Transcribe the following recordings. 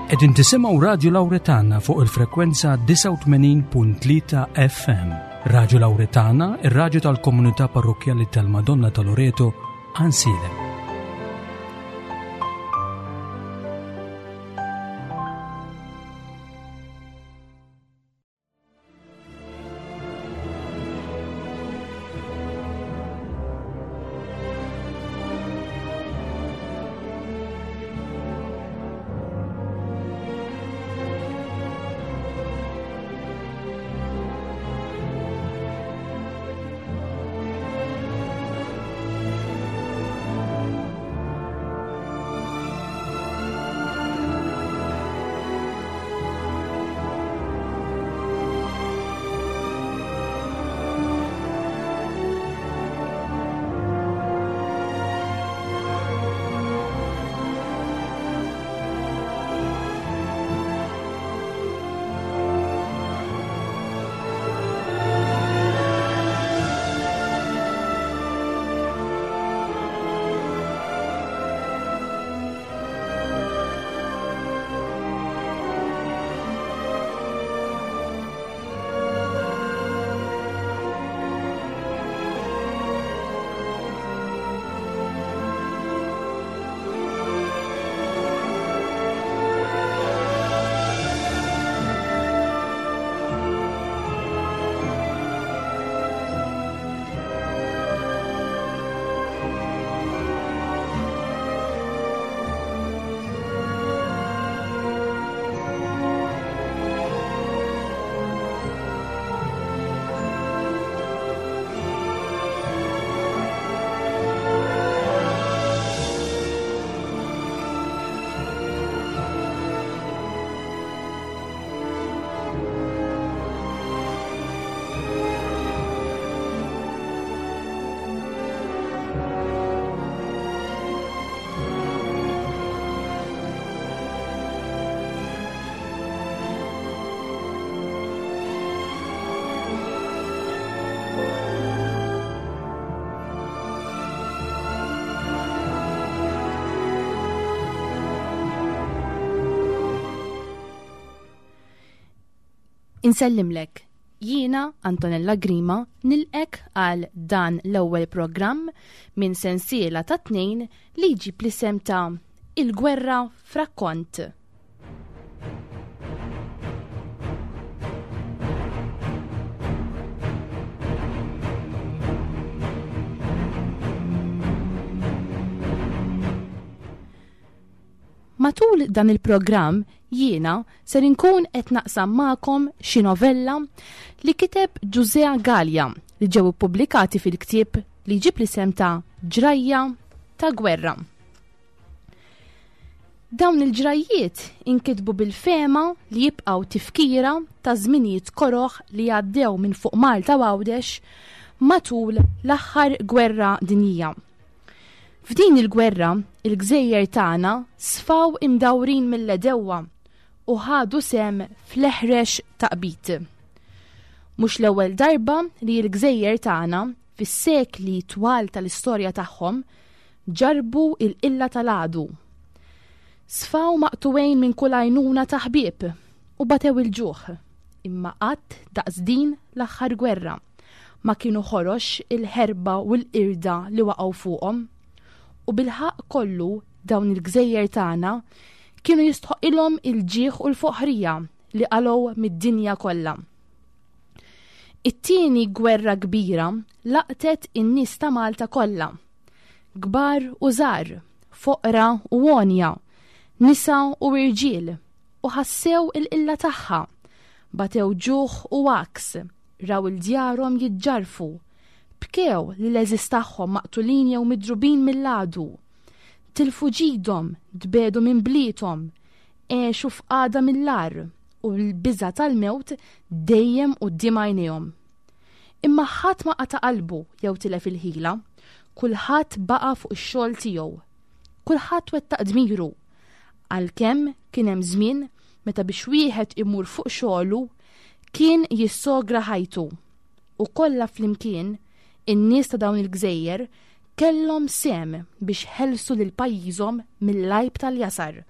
Qegħdin tisimgħu Radju Lawretana fuq il-frekwenza 89.3 FM. Radju Lawretana, ir-radju tal-komunità parrokkjali tal-Madonna ta' Loreto, Ansilem. Insellimlek, jiena Antonella Grima nilqek għal dan l-ewwel programm minn sensiela ta' tnejn li jġib l-isem ta' Il-Gwerra f'Rakkont. Matul dan il-programm jiena ser inkun qed naqsam magħkom xi novella li kiteb Ġużea Galea li ġew ippubblikati fil-ktieb li jġib l-isem ta' Ġrajja ta' Gwerra. Dawn il-ġrajjiet inkitbu bil-fehma li jibqgħu tifkira ta' żminijiet koroh li għaddew minn fuq Malta u Għawdex matul l-aħħar gwerra dinjija. F'din il-gwerra, il-gżejjer tagħna sfaw imdawrin mill-għedewwa u ħadu sehem fl-eħrex taqbid. Mhux l-ewwel darba li l-gżejjer tagħna fis-sekli twal tal-istorja tagħhom ġarrbu l-qilla tal-għadu. Sfaw maqtugħin minn kull għajnuna ta' ħbieb u batew il-ġuħ, imma qatt daqs din l-aħħar gwerra ma kienu ħorox il-ħerba u l-qirda li waqgħu fuqhom. U bil-ħaqq kollu dawn il-gżejjer tagħna kienu jistħoqilhom il-ġieħ u l-foħrija li qalgħu mid-dinja kollha. It-tieni gwerra kbira laqtet in-nies ta' Malta kollha. Kbar u żgħar, foqra u għonja, nisa u irġiel, u ħassew il-qilla tagħha. Batew ġuħ u għaks, raw il-djarhom jiġġarrfu, bkew li l-għeżież tagħhom maqtulin jew midrubin mill-għadu. Tilfu ġidhom, tbiegħdu minn bliethom, għexu f'qagħda mill-agħar u l-biża' tal-mewt dejjem quddiem għajnejhom. Imma ħadd ma qata' qalbu jew tilef il-ħila, kulħadd baqa' fuq ix-xogħol tiegħu. Kulħadd wettaq dmiru. Għalkemm kien hemm żmien meta biex wieħed imur fuq xogħlu kien jissogra ħajtu. U kollha flimkien, in-nies ta' dawn il-gżejjer kellhom sehem biex ħelsu lil pajjiżhom mill-għajb tal-jasar.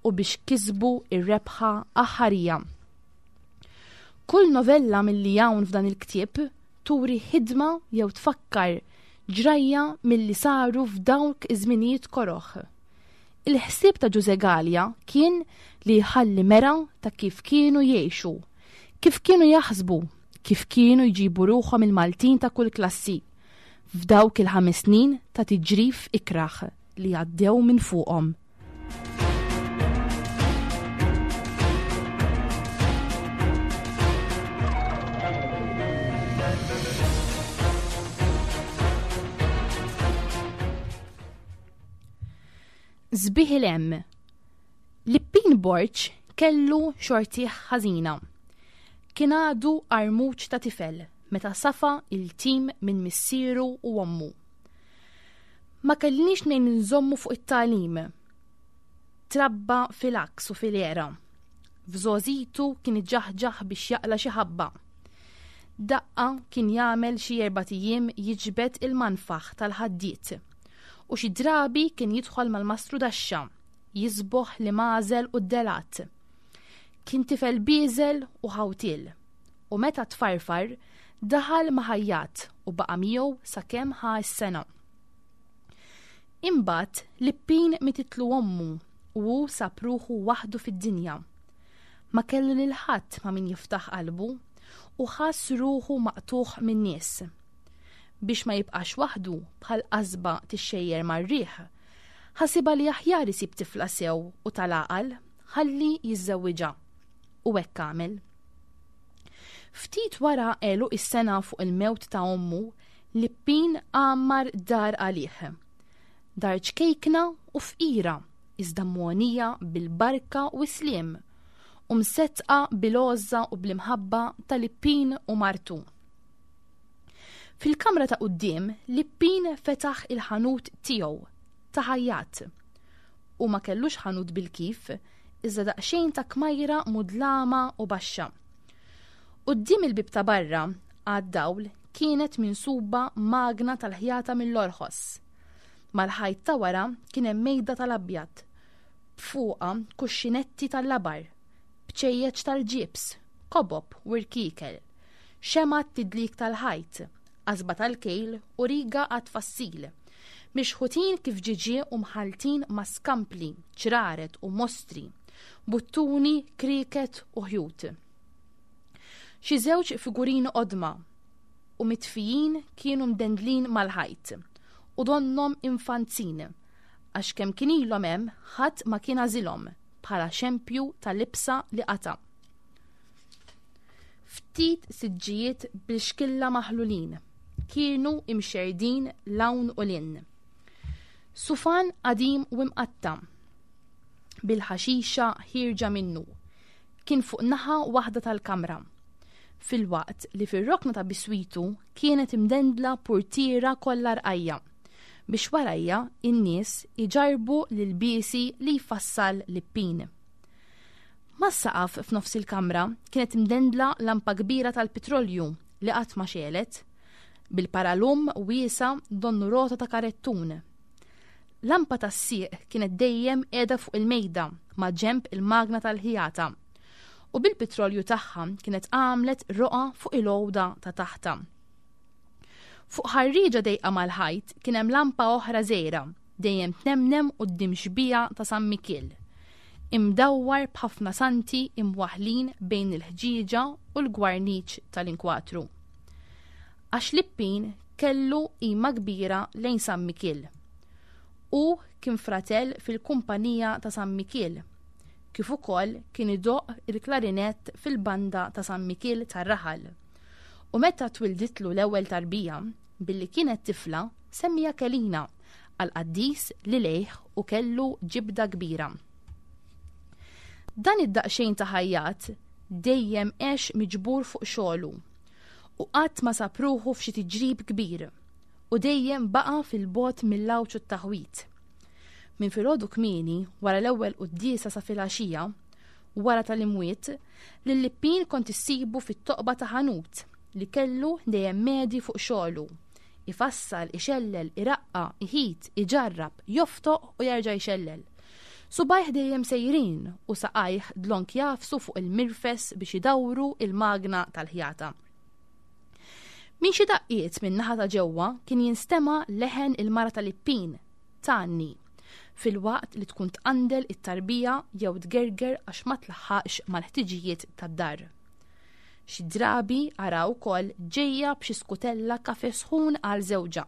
u biex kisbu ir-rebħa aħħarija. Kull novella milli hawn f'dan il-ktieb turi ħidma jew tfakkar ġrajja milli saru f'dawk iż-żminijiet koroh. Il-ħsieb ta' Ġużè Galea kien li jħalli mera ta' kif kienu jgħixu, kif kienu jaħsbu, kif kienu jġibu ruħhom il-Maltin ta' kull klassi f'dawk il-ħames snin ta' tiġrif ikrah li għaddew minn fuqhom. Sbieħ il-hemm. Lippin Borg kellu xortih ħażina. Kien għadu armuċ ta' tifel meta safa il-tim minn missieru u ommu. Ma kellniex mnejn nżommu fuq it-tagħlim. Trabba fil-għaks u fil-għera. F'żgħożitu kien iġaħġaħ biex jaqla' xi ħabba. Daqqa kien jagħmel xi erbat ijiem jiġbed il-manfaħ tal-ħaddied. U xi drabi kien jidħol mal-mastru daxxa, jiżboħ l-imgħażel u d-delat. Kien tifel bieżel u ħawtiel. U meta tfarfar, daħal ma' ħajjat u baqa' miegħu sakemm ħa s-sena. Imbagħad Lippin mititlu ommu u hu sab ruħu waħdu fid-dinja. Ma kellu lil ħadd ma' min jiftaħ qalbu u ħass ruħu maqtugħ min-nies. Biex ma jibqax waħdu bħal qasba tixxejjer mar-riħ, ħasibha li aħjar isib tifla sew u tal-għaqal ħalli jiżżewwiġha. U hekk għamel. Ftit wara għeluq is-sena fuq il-mewt ta' ommu, Lippin għammar dar għalih. Dar ċkejkna u fqira, iżda mogħnija bil-barka u s-sliem, u msettqa bil-għożża u bl-imħabba ta' Lippin u martu. Fil-kamra ta' quddiem, Lippin fetaħ il-ħanut tiegħu ta' ħajjat. Hu ma kellux ħanut bil-kif, iżda daqsxejn ta' kmajra mudlama u baxxa. Quddiem il-bieb ta' barra, għad-dawl, kienet minsuba magna tal-ħjata mill-orħos. Mal-ħajt ta' wara kien hemm mejda tal-abjad, b'fuqha kuxxinetti tal-labar, bċejjeċ tal-ġibs, kobob u rkiekel, xemgħat tidlik tal-ħajt, qasba tal-kejl u riga għat-tfassil, mixħutin kif ġiġie u mħalltin ma' skampli, ċraret u mostri, buttuni, krieket u ħjut. Xi żewġ figurini qodma u mitfijin kienu mdendlin mal-ħajt u donnhom infanzin għax kemm kien ilhom hemm ħadd ma kien għażilhom bħala xempju ta' libsa li qata'. Ftit siġġijiet bil-xkilla maħlulin kienu imxerrdin 'l hawn u 'l hinn. Sufan qadim u imqatta' bil-ħaxixa ħierġa minnu kien fuq naħa waħda tal-kamra, filwaqt li fir-rokna ta' biswitu kienet imdendla purtiera kollha rqajja' biex warajha n-nies iġarrbu l-ilbiesi li jfassal Lippin. Mas-saqaf f'nofs il-kamra kienet imdendla lampa kbira tal-pitrolju li qatt ma xegħlet, bil-paralum wiesa' donnu rota ta' karettun. Lampa tas-sieq kienet dejjem qiegħda fuq il-mejda ma' ġenb il-magna tal-ħjata u bil-pitrolju tagħha kienet għamlet roqgħa fuq il-għoda ta' taħtha. Fuq ħarrieġa dejqa mal-ħajt kien hemm lampa oħra żgħira dejjem tnemnem quddiem xbieha ta' San Mikiel, imdawwar b'ħafna santi imwaħħlin bejn il-ħġieġa u l-gwarniċ tal-inkwatru. Għax Lippin kellu qima kbira lejn San Mikiel. Hu kien fratell fil-kumpanija ta' San Mikiel, kif ukoll kien idoqq il-klarinett fil-banda ta' San Mikiel tar-raħal. U meta twilditlu l-ewwel tarbija, billi kienet tifla, semmiha Kelina, għall-qaddis li lejh hu kellu ġibda kbira. Dan id-daqsxejn ta' ħajjat dejjem għex miġbur fuq xogħlu u qatt ma sab ruħu f'xi tiġrib kbir u dejjem baqa' fil-bogħod mill-għawġ u t-taħwid. Minn filgħodu kmieni, wara l-ewwel quddiesa sa filgħaxija, wara tal-imwiet, lil Lippin kont issibu fit-toqba ta' ħanut li kellu dejjem medi fuq xogħlu. Ifassal, ixellel, iraqqa', iħit, iġarrab, joftoq u jerġa' jxellel. Subgħajh dejjem sejrin u saqajh dlonk jagħfsu fuq il-mirfes biex idawru il-magna tal-ħjata. Minn xi daqqiet minn naħa ta' ġewwa kien jinstema' leħen il-mara tal-Ippin, tgħanni, filwaqt li tkun tqandel it-tarbija jew tgerger għax ma tlaħħaqx mal-ħtiġijiet tad-dar. Xi drabi ara wkoll ġejja b'xi skutella kafe sħun għal żewġha.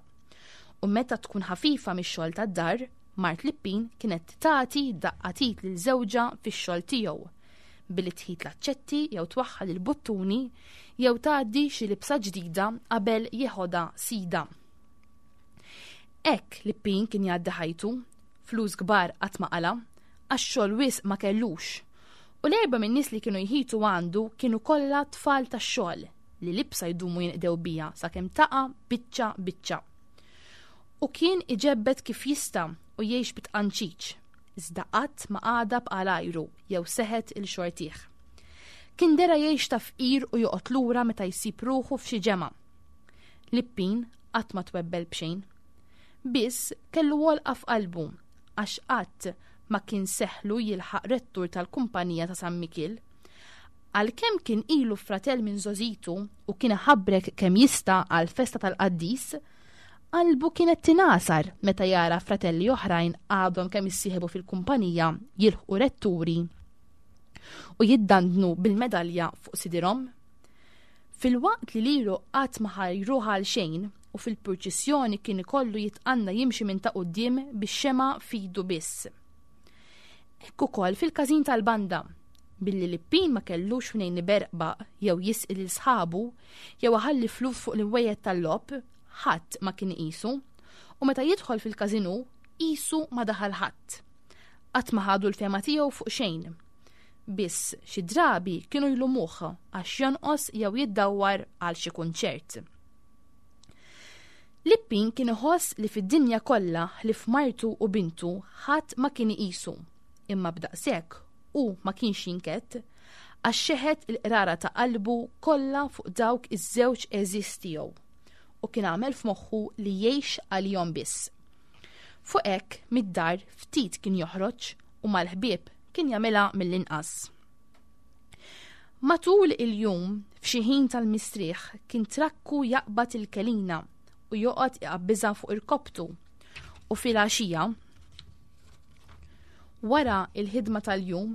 U meta tkun ħafifa mix-xogħol tad-dar, mart Lippin kienet tagħti daqqa t'id lil żewġha fix-xogħol tiegħu, billi tħit l-aċċetti jew twaħħal il-buttuni jew tgħaddi xi libsa ġdida qabel jeħodha sidha. Hekk Lippin kien jgħaddi ħajtu, flus kbar qatt ma qala', għax xogħol wisq ma kellux. U l-erbgħa min-nies li kienu jħitu għandu kienu kollha tfal tax-xogħol li libsa jdumu jinqdew biha sakemm taqa' biċċa biċċa. U kien iġebbed kif jista' u jgħix bi tqanċiċ, iżda qatt ma għadab għal għajru jew seħet il xortih. Kien dera jgħix ta' fqir u joqgħod lura meta jsib ruħu f'xi ġemgħa. Lippin qatt ma twebbel b'xejn. Biss kellu għolqa f'qalbu għax qatt ma kien seħħlu jilħaq rettur tal-kumpanija ta' San Mikiel. Għalkemm kien ilu fratell minn żgħożitu u kien iħabbrek kemm jista' għall-festa tal-qaddis, qalbu kienet tingħasar meta jara fratelli oħrajn għadhom kemm issieħbu fil-kumpanija jilħqu retturi u jiddandnu bil-medalja fuq sidirhom. Filwaqt li lilu qatt ma ħajruh għal xejn u fil-purċissjoni kien ikollu jitqanna jimxi minn ta' quddiem bix-xemgħa f'idu biss. Hekk ukoll fil-każin tal-banda, billi Lippin ma kellux mnejn iberqbaq jew jisqi lil sħabu jew iħalli flus fuq l-imwejjed tal-logħob, ħadd ma kien iqisu, u meta jidħol fil-każin hu, qisu ma daħal ħadd. Qatt ma ħadu l-fehma tiegħu fuq xejn. Biss xi drabi kienu jlumuh għax jonqos jew jiddawwar għal xi kunċert. Lippin kien iħoss li fid-dinja kollha ħlief martu u bintu ħadd ma kien iqisu. Imma b'daqshekk hu ma kienx jinkedd għax xeħet il-qrara ta' qalbu kollha fuq dawk iż-żewġ għeżież tiegħu u kien għamel f'moħħu li jgħix għalihom biss. Fuq hekk mid-dar ftit kien joħroġ u mal-ħbieb kien jagħmilha mill-inqas. Matul il-jum, f'xi ħin tal-mistrieħ, kien trakku jaqbad il-kelina u joqgħod iqabbiżha fuq irkoptu. U filgħaxija, wara il-ħidma tal-jum,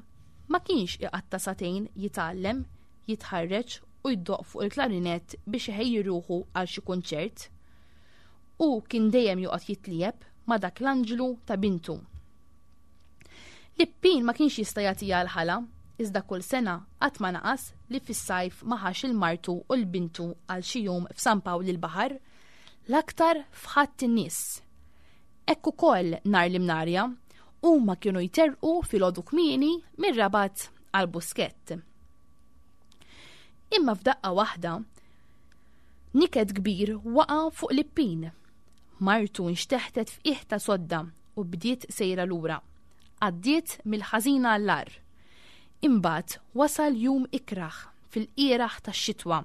ma kienx iqatta' sagħtejn jitgħallem, jitħarreġ u jdoqq fuq il-klarinett biex iħejji ruħu għal xi kunċert. Hu kien dejjem joqgħod jitliegħeb ma' dak l-anġlu ta' bintu. Lippin ma kienx jista' jagħtiha l-ħala, iżda kull sena qatt ma naqas li fis-sajf ma ħax il martu u l bintu għal xi jum f'San Pawl il-Baħar, l-aktar f'Ħadd in-Nies. Hekk ukoll nhar l-Imnarja, huma kienu jterrqu filgħodu kmieni mir-Rabat għal Buskett. Imma f'daqqa waħda, niket kbir waqa' fuq Lippin. Martu nxteħtet f'qiegħ ta' sodda u bdiet sejra lura. Għaddiet mill-ħażin għall-agħar. Imbagħad wasal jum ikrah fil-qieraħ tax-xitwa,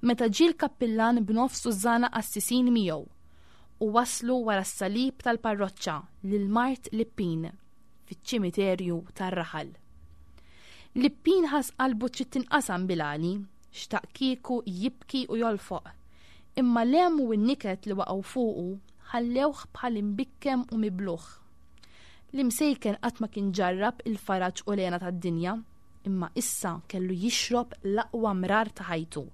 meta ġie l-kappillan b'nofs tużżana qassisin miegħu u wasslu wara s-salib tal-parroċċa lil mart Lippin fiċ-ċimiterju tar-raħal. Lippin ħass qalbu trid tinqasam bil-għali, xtaq kieku jibki u jolfoq, imma l-hemm u n-niket li waqgħu fuqu ħallewh bħal imbikkem u mibluh. L-imsejken qatt ma kien ġarrab il-faraġ u l-hena tad-dinja, imma issa kellu jixrob l-aqwa mrar ta' ħajtu.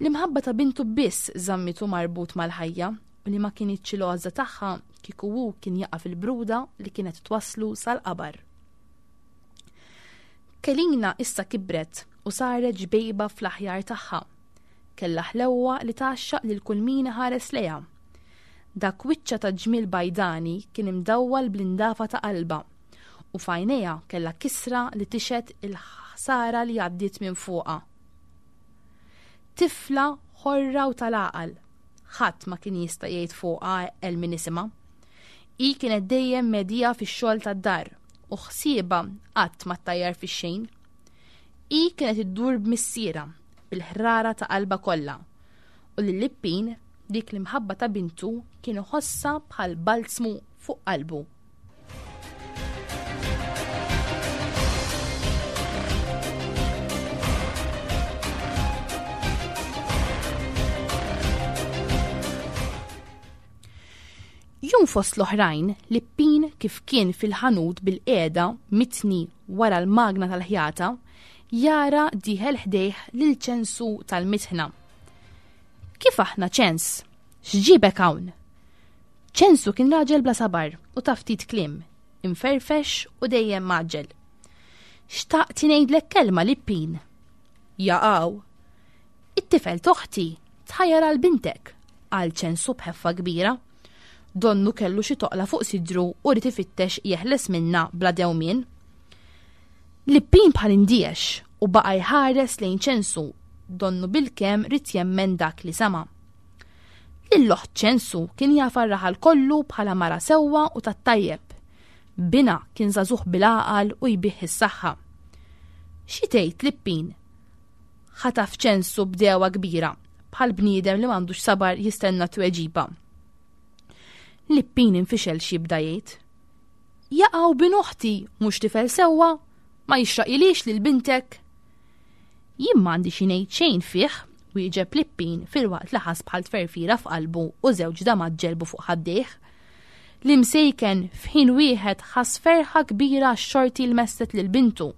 L-imħabba ta' bintu biss żammitu marbut mal-ħajja u li ma kinitx il-għożża tagħha kieku hu kien jaqa' fil-bruda li kienet twasslu sal-qabar. Kelina issa kibret u saret ġbejba fl-aħjar tagħha. Kellha ħlewwa li tgħaxxaq lil kull min iħares lejha. Dak wiċċha ta' ġmiel bajdani kien imdawwal bl-indafa ta' qalbha u f'għajnejha kellha kisra li tixhed il-ħsara li għaddiet minn fuqha. Tifla ħorra u tal-għaqal. Ħadd ma kien jista' jgħid fuqha eqqel minn isimha. Hi kienet dejjem medija fix-xogħol tad-dar u ħsiebha qatt ma ttajjar fix-xejn. Hi kienet iddur b'missierha bil-ħrara ta' qalbha kollha u lil Lippin dik l-imħabba ta' bintu kien iħossha bħal balzmu fuq qalbu. Jum fost l-oħrajn, Lippin kif kien fil-ħanut bilqiegħda mitni wara l-magna tal-ħjata, jara dieħel ħdejh lil Ċensu tal-mitħna. Kif aħna Ċens? X'ġiebek hawn? Ċensu kien raġel bla sabar u ta' ftit kliem, imferfex u dejjem mgħaġġel. Xtaqt ngħidlek kelma Lippin. Jaqaw. It-tifel t'oħti tħajjar għal bintek, qal Ċensu b'ħeffa kbira. Donnu kellu xi toqla fuq sidru u ried ifittex jeħles minnha bla dewmien. Lippin bħal indiex u baqa' jħares lejn Ċensu donnu bilkemm ried jemmen dak li sama'. Lil oħt Ċensu kien jafha r-raħal kollu bħala mara sewwa u tat-tajjeb. Binha kien żagħżugħ bil-għaqal u jbigħ is-saħħa. Xi tgħid Lippin? Ħataf Ċensu b'degħwa kbira, bħal bniedem li m'għandux sabar jistenna tweġiba. Lippin infixel x'jibda jgħid. Jaqaw bin oħti mhux tifel sewwa, ma jixraqilix lil bintek. Jien m'għandi xi ngħid xejn fih, wieġeb Lippin filwaqt li ħass bħal tferfira f'qalbu u żewġ damat ġelbu fuq ħaddejh. L-imsejken f'ħin wieħed ħass ferħa kbira għax-xorti l messet lil bintu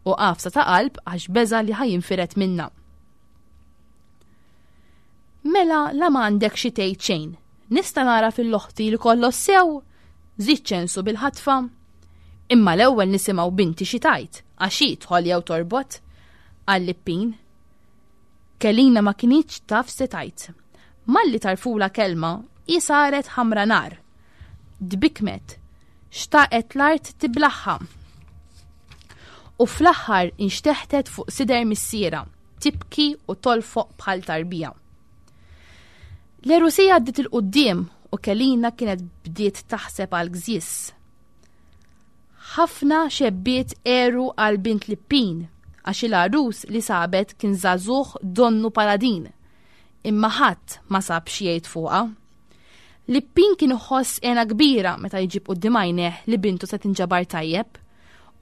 u qafsa ta' qalb għax beża' li ħa jinfired minnha. Mela la m'għandek xi tgħid xejn. Nista' nara fil-oħti li kollox sew? Żied ċensu bil-ħatfa. Imma l-ewwel nisimgħu binti xi tgħid għax hi tħoll jew torbot, qal Lippin. Kelina ma kinitx taf se tgħid. Malli tarfula kelma, hi saret ħamra nar. Tbikkmet. Xtaqet l-art tiblaħħa. U fl-aħħar inxteħtet fuq sider missierha, tibki u tolfoq bħal tarbija. L-erusija għaddiet il-quddiem u Kelina kienet bdiet taħseb għal gżis. Ħafna xebbiet għeru għal bint Lippin għax il-għarus li sabet kien żagħżugħ donnu paladin. Imma ħadd ma sab xi jgħid fuqha. Lippin kien iħoss hena kbira meta jġib quddiem għajnejh li bintu se tinġabar tajjeb.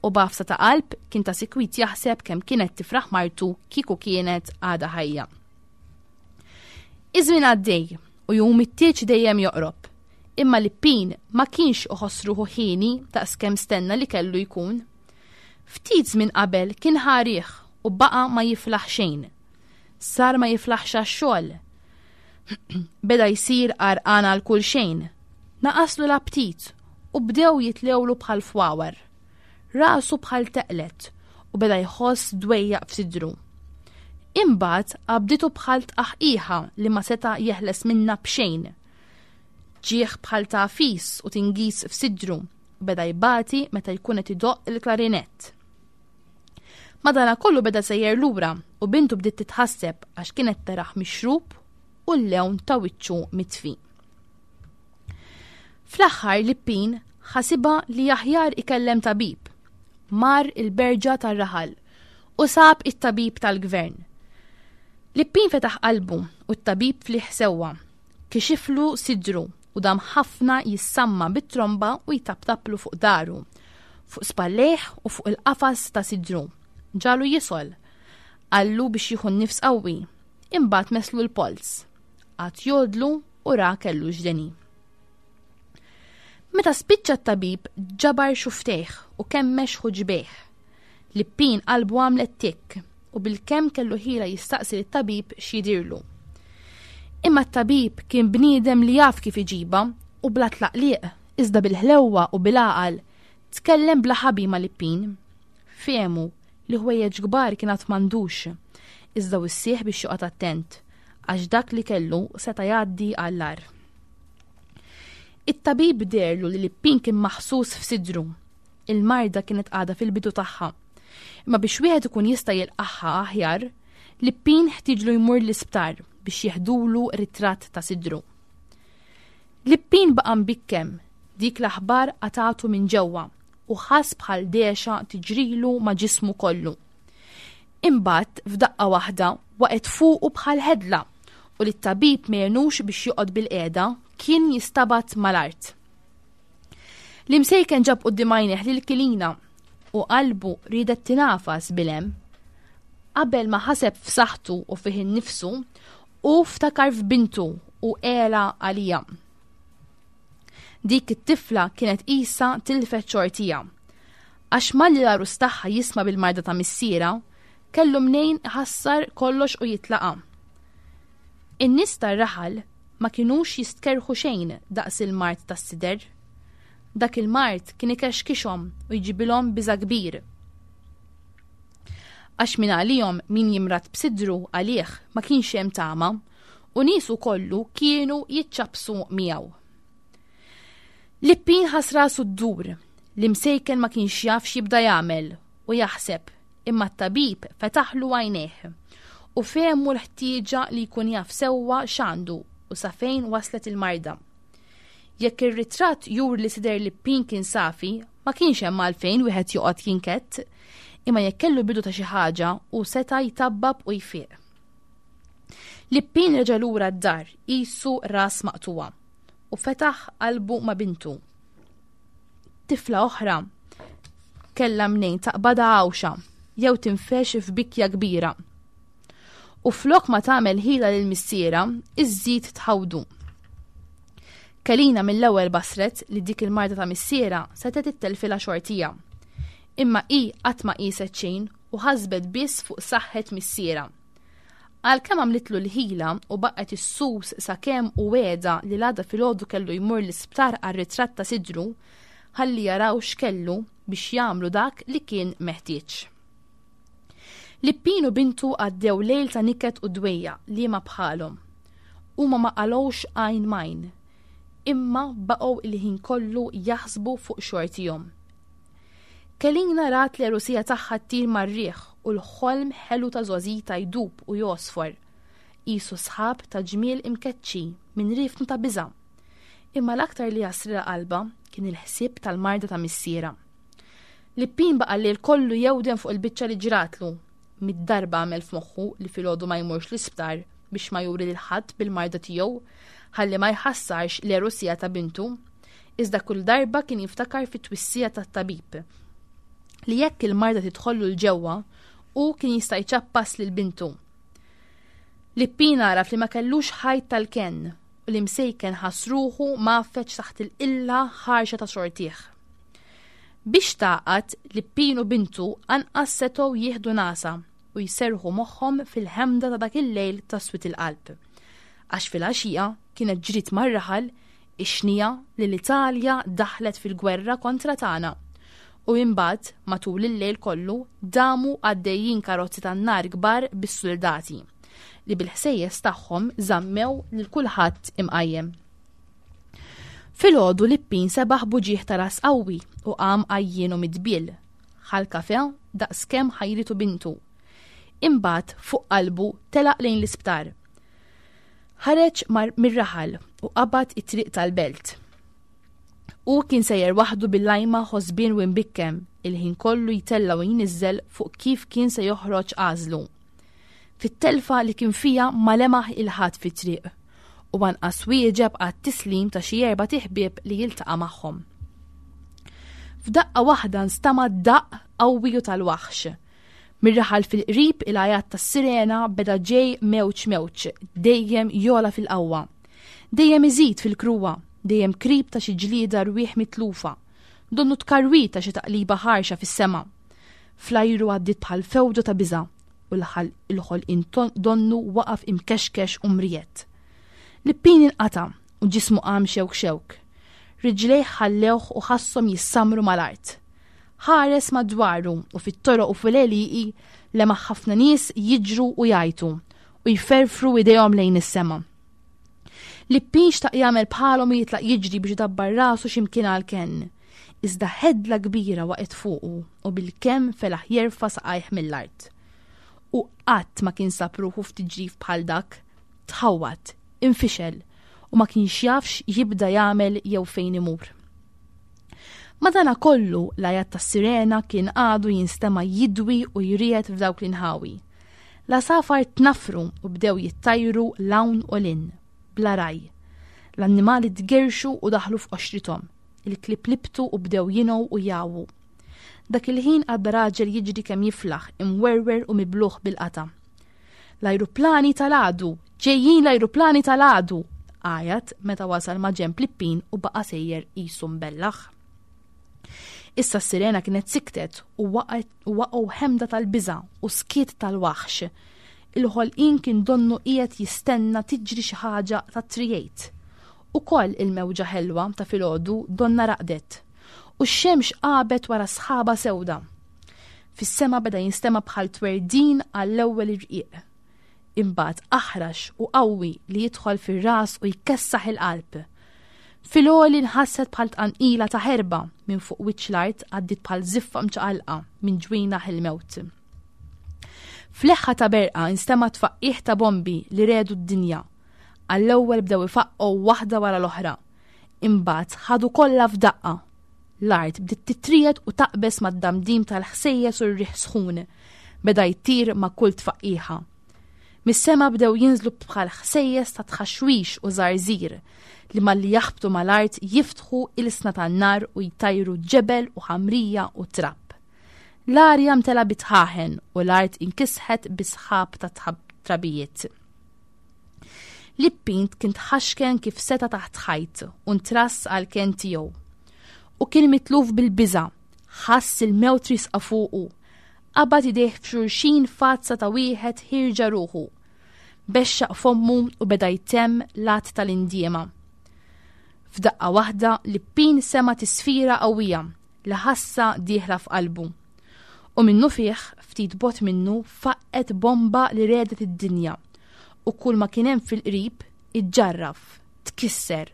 U b'għafsa ta' qalb kien ta' sikwit jaħseb kemm kienet tifraħ martu kieku kienet għadha ħajja. Iż-żmien għaddej u jum it-tieġ dejjem joqrob. Imma Lippin ma kienx iħoss ruħu ħieni daqskemm stenna li kellu jkun. Ftit żmien qabel kien ħa riħ u baqa' ma jiflaħ xejn. Sar ma jiflaħx għax-xogħol. Beda jsir għarqan għal kull xejn. Naqaslu l-aptit u bdew jitlewlu bħal fwawar. Rasu bħal teqlet u beda jħoss dwejjaq f'sidru. Imbagħad qabditu bħal tqaħqiħa li ma seta' jeħles minnha b'xejn. Ġieħ bħal tagħfis u tingiż f'sidru u beda jbati meta jkun qed idoqq il-klarinett. Madanakollu beda sejjer lura u bintu bdiet titħasseb għax kienet taraħ mixrub u l-lewn ta' wiċċu mitfi. Fl-aħħar Lippin ħasibha li aħjar ikellem tabib. Mar il-berġa tar-raħal u sab it-tabib tal-gvern. Lippin fetaħ qalbu u t-tabib fliħ sewwa. Kixiflu sidru u dam ħafna jissamma bit-tromba u jtaptaplu fuq daru, fuq spallejh u fuq il-qafas ta' sidru. Ġalu jisol. Qallu biex jieħu n-nifs qawwi. Imbagħad meslu l-polz. Qagħad jgħodlu u ra kellu x'deni. Meta spiċċa t-tabib ġabar xuftejh u kemmex ħuġbejh. Lippin qalbu għamlet tikk u bilkemm kellu ħila jistaqsi lit-tabib x'jidhirlu. Imma t-tabib kien bniedem li jaf kif iġibha u bla tlaqliq, iżda bil-ħlewwa u bil-għaqal, tkellem bla ħabi ma' Lippin. Fehmu li ħwejjeġ kbar kien għad m'għandux, iżda wissieh biex joqgħod attent, għax dak li kellu seta' jgħaddi għall-agħar. It-tabib deherlu li Lippin kien maħsus f'sidru. Il-marda kienet għadha fil-bidu tagħha. Imma biex wieħed ikun jista' jilqagħha aħjar, Lippin ħtieġlu jmur l-isptar biex jeħdulu ritratt ta' sidru. Lippin baqa' mbikkem, dik l-aħbar qatgħatu minn ġewwa u ħass bħal dehxa tiġrilu ma' ġismu kollu. Imbagħad f'daqqa waħda waqgħet fuqu bħal ħedla u li t-tabib m'għenux biex joqgħod bilqiegħda kien jistabat mal-art. L-imsejken ġab quddiem għajnejh lil Kilina u qalbu riedet tingħafas bil-hemm. Qabel ma ħaseb f'saħħtu u fih innifsu, hu ftakar f'bintu u għela għalija. Dik it-tifla kienet qisha tilfet xortiha. Għax malli l-għarus tagħha jisma' bil-marda ta' missierha, kellu mnejn iħassar kollox u jitlaqha. In-nies tar-raħal ma kinux jistkerrħu xejn daqs il-mard tas-sider. Dak il-mard kien ikexkixhom u jġibilhom biża' kbir. Għax minn għalihom min jimrad b'sidru għalih ma kienx hemm tama u niesu kollu kienu jiċċappsu miegħu. Lippin ħass rasu ddur, l-imsejken ma kienx jaf x'jibda jagħmel u jaħseb, imma t-tabib fetaħlu għajnejh u fehmu l-ħtieġa li jkun jaf sewwa x'għandu u sa fejn waslet il-marda. Jekk ir-ritratt juri li sider Lippin kien safi, ma kienx hemm għalfejn wieħed joqgħod jinkett, imma jekk kellu bidu ta' xi ħaġa hu seta' jtabbab u jfiq. Lippin reġa' lura d-dar qisu ras maqtugħa u fetaħ qalbu ma' bintu. Tifla oħra kellha mnejn taqbadha għawxa jew tinfex f'bikja kbira. U flok ma tagħmel ħila lil missiera, iżżid tħawdu. Kelina mill-ewwel basret li dik il-marda ta' missiera setgħet ittelfilha xortija. Imma hi qatt ma qieset xejn u ħasbet biss fuq saħħet missiera. Għalkemm għamlitlu l-ħila u baqgħet issus sakemm u wegħda li l-għada filgħodu kellu jmur l-isptar għar-ritratt ta' sidru ħalli jaraw x'kellu biex jagħmlu dak li kien meħtieġ. Lippin u bintu għaddew lejl ta' niket u dwejjaq liema bħalhom. Huma ma qalgħux għajn m'għajn, imma baqgħu il-ħin kollu jaħsbu fuq xortihom. Kelina rat l-għerusija tagħha ttir mar-riħ u l-ħolm ħelu ta' żgħożitha jdub u jgħosfor, qisu sħab ta' ġmiel imkeċċi minn riefnu ta' biża'. Imma l-aktar li għasrilha qalbha kien il-ħsieb tal-marda ta' missierha. Lippin baqa' l-lejl kollu jewden fuq il-biċċa li ġratlu. Mitt darba għamel f'moħħu li filgħodu ma jmurx l-isptar biex ma juri lil ħadd bil-marda tiegħu ħalli ma jħassarx l-għerusija ta' bintu. Iżda kull darba kien jiftakar fit-twissija tat-tabib li jekk il-marda tidħollu 'l ġewwa, hu kien jista' jċappas lil bintu. Lippin għaraf li ma kellux ħajt tal-kenn u l-imsejken ħass ruħu mgħaffeġ taħt il-qilla ħarxa ta' xortih. Biex tgħaqqad, Lippin u bintu anqas setgħu jieħdu nagħsa u jserrħu moħħhom fil-ħemda ta' dak il-lejl ta' swied il-qalb. Għax filgħaxija kienet ġriet mar-raħal ix-xniegħa li l-Italja daħlet fil-gwerra kontra tagħna u imbagħad matul il-lejl kollu damu għaddejjin karozzi tan-nar kbar bis-suldati li bil-ħsejjes tagħhom żammew lil kulħadd imqajjem. Filgħodu Lippin sebaħ b'uġigħ ta' ras qawwi u qam għajjien u midbiel. Ħa l-kafè daqskemm ħajritu bintu. Imbagħad fuq qalbu telaq lejn l-isptar. Ħareġ mir-raħal u qabad it-triq tal-belt. Hu kien sejjer waħdu bil-lajma ħosbien u imbikkem, il-ħin kollu jtella' u jniżżel fuq kif kien se joħroġ għażlu. Fit-telfa li kien fiha ma lemaħ 'il ħadd fit-triq u anqas wieġeb għat-tislim ta' xi erbat iħbieb li jiltaqa' magħhom. F'daqqa waħda nstama' daqq qawwi u tal-waħx. Mir-raħal fil-qrib il-għajat tas-sirena beda ġej mewġ mewġ, dejjem jogħla fil-qawwa. Dejjem iżid fil-kruha, dejjem krib ta' xi ġlieda rwieħ mitlufa. Donnu tkarwit ta' xi taqliba ħarxa fis-sema. Fl-ajru għaddiet bħal fewġa ta' biża' u l-ħolqien donnu waqaf imkexkex u mriegħed. Lippin inqata' u ġismu qam xewk xewk. Riġlejh ħallewh u ħasshom jissammru mal-art. Ħares madwaru u fit-toroq u fil-għelieqi lemaħ ħafna nies jiġru u jgħajtu u jferfru idejhom lejn is-sema. Lippin xtaq jagħmel bħalhom u jitlaq jiġri biex idabbar rasu x'imkien għall-kenn. Iżda ħedla kbira waqgħet fuqu u bilkemm felaħ jerfa' saqajh mill-art. U qatt ma kien sab ruħu f'tiġrif bħal dak. Tħawwad, infixel u ma kienx jaf x'jibda jagħmel jew fejn imur. Madanakollu l-għajat tas-sirena kien għadu jinstema' jidwi u jriegħed f'dawk l-inħawi. L-għasafar tnaffru u bdew jittajru 'l hawn u 'l hinn, bla raj. L-annimali tgerrxu u daħlu f'qoxrithom. Il-klieb libtu u bdew jingħu u jgħawwu. Dak il-ħin għadda raġel jiġri kemm jiflaħ, imwerwer u mibluh bil-qatgħa. L-ajruplani tal-għadu! Ġejjin l-ajruplani tal-għadu! Għajat meta wasal ma' ġenb Lippin u baqa' sejjer qisu mbellaħ. Issa s-sirena kienet siktet u waqgħu ħemda tal-biża' u skiet tal-waħx. Il-ħolqien kien donnu qiegħed jistenna tiġri xi ħaġa ta' trijejt. Ukoll il-mewġa ħelwa ta' filgħodu donna raqdet. U x-xemx għabet wara sħaba sewda. Fis-sema beda jinstema' bħal twerdin għall-ewwel irqiq. Imbagħad aħrax u qawwi li jidħol fir-ras u jkessaħ il-qalb. Fil-għoli nħasset bħal tqanqila ta' ħerba minn fuq wiċċ l-art għaddiet bħal żiffa mċaqalqa minn ġwienaħ il-mewt. F'leħħa ta' berqa instema' tfaqqigħ ta' bombi li redu d-dinja. Għall-ewwel bdew ifaqqgħu waħda wara l-oħra. Imbagħad ħadu kollha f'daqqa. L-art bdiet titriegħed u taqbeż mad-damdim tal-ħsejjes u r-riħ sħun beda jtir ma' kull tfaqqiħa. Mis-sema bdew jinżlu bħal ħsejjes ta' tħaxwix u żarżir li malli jaħbtu mal-art jiftħu ilsna tan-nar u jtajru ġebel u ħamrija u trab. L-arja mtela bi tħaħen u l-art inkisħet bi sħab ta' trabijiet. Lippint kien tħaxken kif seta' taħt ħajt u ntrass għall-kenn tiegħu. U kien mitluf bil-biża', ħass il-mewt riesqa fuqu. Qabad idejh f'xulxin f'għadsa ta' wieħed ħierġa ruħu. Bexxaq fommu u beda jtemm l-att tal-indiema. F'daqqa waħda Lippin sema' tisfira qawwija li ħassha dieħla f'qalbu. U minnufih, ftit bogħod minnu, faqqgħet bomba li regħdet id-dinja u kull ma kien hemm fil-qrib iġġarraf, tkisser,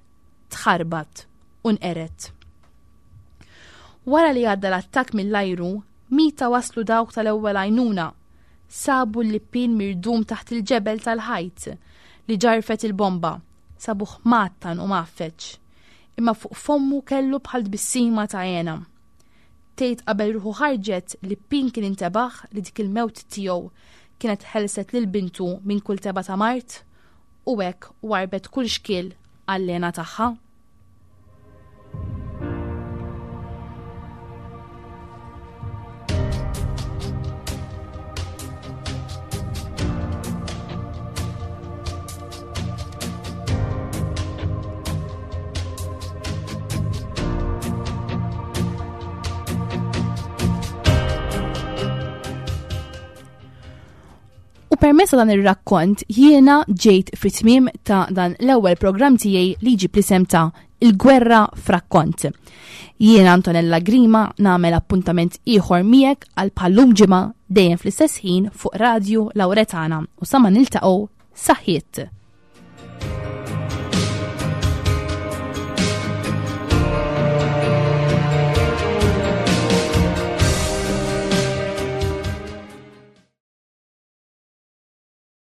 tħarbat u nqered. Wara li għadda l-attakk mill-ajru, mita waslu dawk tal-ewwel għajnuna. Sabu l-lippin mirdum taħt il-ġebel tal-ħajt li ġarfet il-bomba. Sabuh mgħattan u mgħaffeġ. Imma fuq fommu kellu bħal tbissima ta' hena. Tgħid qabel ruħu ħarġet li Pin kien intebaħ li dik il-mewt tiegħu kienet ħelset lil bintu minn kull tebgħa ta' mard u hekk warrbet kull xkiel għall-hena tagħha? U permezz ta' dan ir-rakkont jiena ġejt fit-tmiem ta' dan l-ewwel programm tiegħi li jġib l-isem ta' Il-Gwerra f'Rakkont. Jiena Antonella Grima nagħmel appuntament ieħor miegħek għal bħallum ġimgħa dejjem fl-istess ħin fuq Radju Lauretana u sa ma niltaqgħu saħħiet.